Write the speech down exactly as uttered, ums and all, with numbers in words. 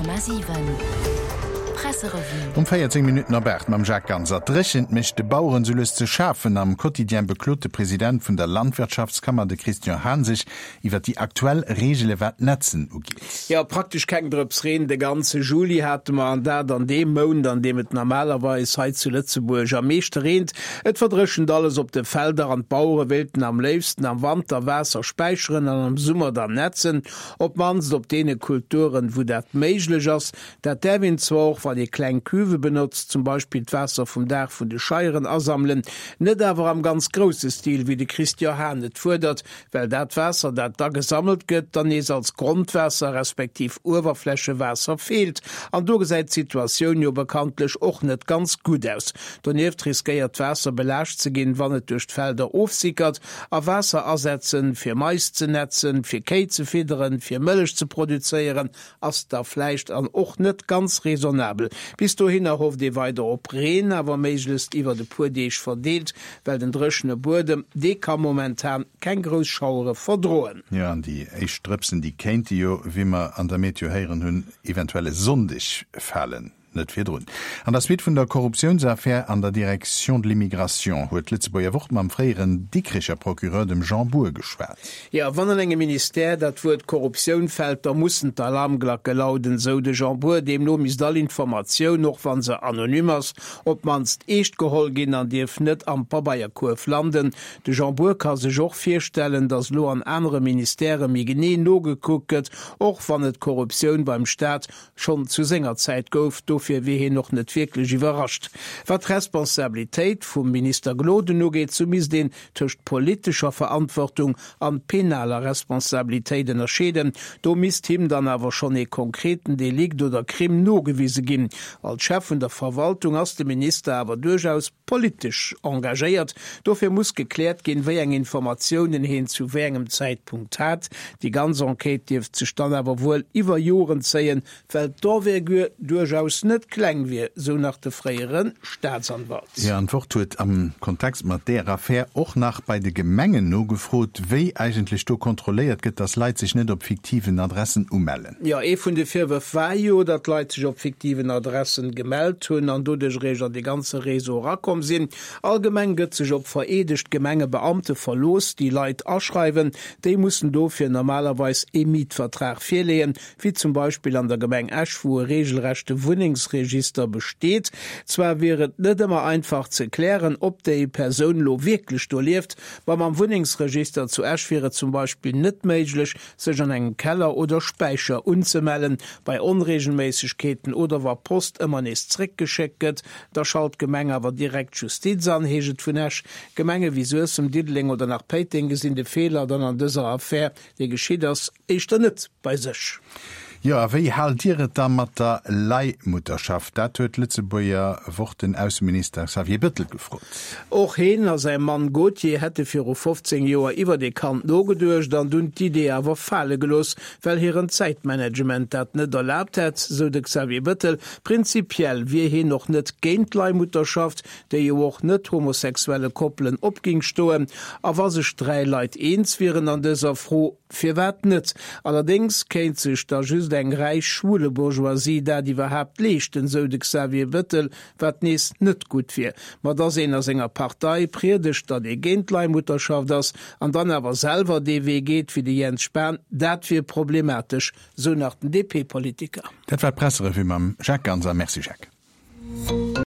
Komma siwen Presserevue. Um véierzéng Minutten op aacht mam Jacques Ganser. D'Dréchent mécht de Baueren sou lues ze schafen. Am Quotidien beklot de President vun der Landwirtschaftskammer, de Christian Hahn, sech iwwer déi aktuell Reegele wat d'Netzen ugeet. Jo, praktesch keng Drëps Reen de ganze Juli hate mer, an dat an deem Mount, an deem et normalerweis hei zu Lëtzebuerg am meeschte reent. Et verdréchent alles op de Felder an d'Bauere wéilten am léifsten am Wanter Waasser späicheren an am Summer dann netzen, op d'mannst op deene Kulturen, wou dat méiglech ass. Dat däerf een zwar och, wann ee kleng Cuve benotzt, zum Beispill d'Waasser vum Daach vun de Scheieren asammelen, net awer am ganz grousse Stil, wéi de Christian Hahn et fuerdert, well dat Waasser, dat da gesammelt gëtt, dann nees als Grondwaasser respektiv Uewerflächewaasser feelt. An do gesäit d'Situatioun jo bekanntlech och net ganz gutt aus. Donieft riskéiert d'Waasser belaascht ze ginn, wann et duerch d'Felder ofsickert. A Waasser asetzen, fir Mais ze netzen, fir Kéi ze fidderen, fir Mëllech ze produzéieren, ass da vläicht an och net ganz raisonnabel. Bis dohinner hofft ee weider op Reen, awer méiglechst iwwert e puer Deeg verdeelt, well den dréchene Buedem, dee ka momentan keng grouss Schauere verdroen. Jo, an déi éischt Drëpsen, déi kéinte jo, wéi mer an der Meteo héieren hunn, eventuell e Sonndeg falen, net virdrun. An der Suite vun der Korruptiounsaffär an der Direction de l'immigration huet d'Lëtzebuerger Wort mam fréieren Dikricher Procureur, dem Jean Bour, geschwat. Jo, wann an engem Ministère dat Wuert Korruptioun fält, da mussen d'Alarmglacke lauden, sou de Jean Bour. Deemno misst all Informatioun, och wa se anonym ass, op d'mannst eescht geholl ginn an dierf net am Pabeierkuerf landen. De Jean Bour ka sech och virstellen, datt elo an anere Ministèrë méi genee nogekuckt gëtt, och wann et Korruptioun beim Staat schonn zu senger Zäit gouf. Dofir wier hien och net wierklech iwwerrascht. Wat d'Responsabilitéit vum Minister Gloden ugeet, sou misst een tëscht politescher Verantwortung an penaler Responsabilitéit ënnerscheeden. Do misst him dann awer schonn ee konkreten Delikt oder Crime nogewise ginn. Als Chef vun der Verwaltung ass de Minister awer duerchaus politesch engagéiert. Dofir muss gekläert ginn, wéi eng Informatiounen hien zu wéi engem Zäitpunkt hat. Déi ganz Enquête dierft sech dann awer wuel iwwer Joren zéien, well d'Envergure duerchaus net kleng wier, sou nach de fréiere Staatsanwalt. Jo, an d'Wort huet am Kontext mat där Affär och nach bei de Gemengen nogefrot, wéi eigentlech do kontrolléiert gëtt, dass Leit sech net op fiktiven Adressen umellen. Jo, ee vun de Virwërf war jo, datt Leit sech op fiktiven Adressen gemellt hunn an doduerch eréischt an dee ganze Réseau erakomm sinn. Allgemeng gëtt sech op vereedegt Gemengebeamte verlooss, déi Leit aschreiwen. Déi mussen dofir normalerweis ee Mietvertrag virleeën, wéi zum Beispill an der Gemeng Esch, wou e reegelrechte Wunnengsregister besteet. Zwar wier et net ëmmer einfach ze klären, ob déi Persoun elo wierklech do lieft, ma mam Wunnengsregister zu Esch wier et zum Beispill net méiglech, sech an engem Keller oder Späicher unzemellen. Bei Onreegelméissegkeeten oder wa Post ëmmer nees zréckgeschéckt gëtt, da schalt d'Gemeng awer direkt d'Justiz an, heescht et vun Esch. Gemenge wéi Suessem, Diddeleng oder nach Péiteng gesinn de Feeler dann an dëser Affär, déi geschitt ass, éischter net bei sech. Jo, a wéi haalt Dir et da mat der Leihmutterschaft? Dat huet d'Lëtzebuerger Wort den Ausseminister Xavier Bettel gefrot. Och heen a säi Mann Gauthier hätte viru fofzéng Joer iwwert ee Kand nogeduecht an dunn d'Idee awer fale gelooss, well hiren Zäitmanagement dat net erlaabt hätt, sou de Xavier Bettel. Prinzipiell wier heen och net géint d'Leihmutterschaft, déi jo och net-homosexuelle Koppelen op géing stoen. A wa sech dräi Leit eens wieren an dëser Fro, Firwat net? Allerdéngs kéint sech da just eng räich Schwulebourgeoisie dat iwwerhaapt leeschten, sou de Xavier Bettel, wat nees net gutt wier. Ma dass een a senger Partei priedegt, datt ee géint d'Leihmutterschaft ass, an dann awer selwer dee Wee geet wéi de Jens Spahn, dat wier problematesch, sou nach den D P-Politiker. Dat war d'Presserevue mam Jacques Ganser. Merci Jacques.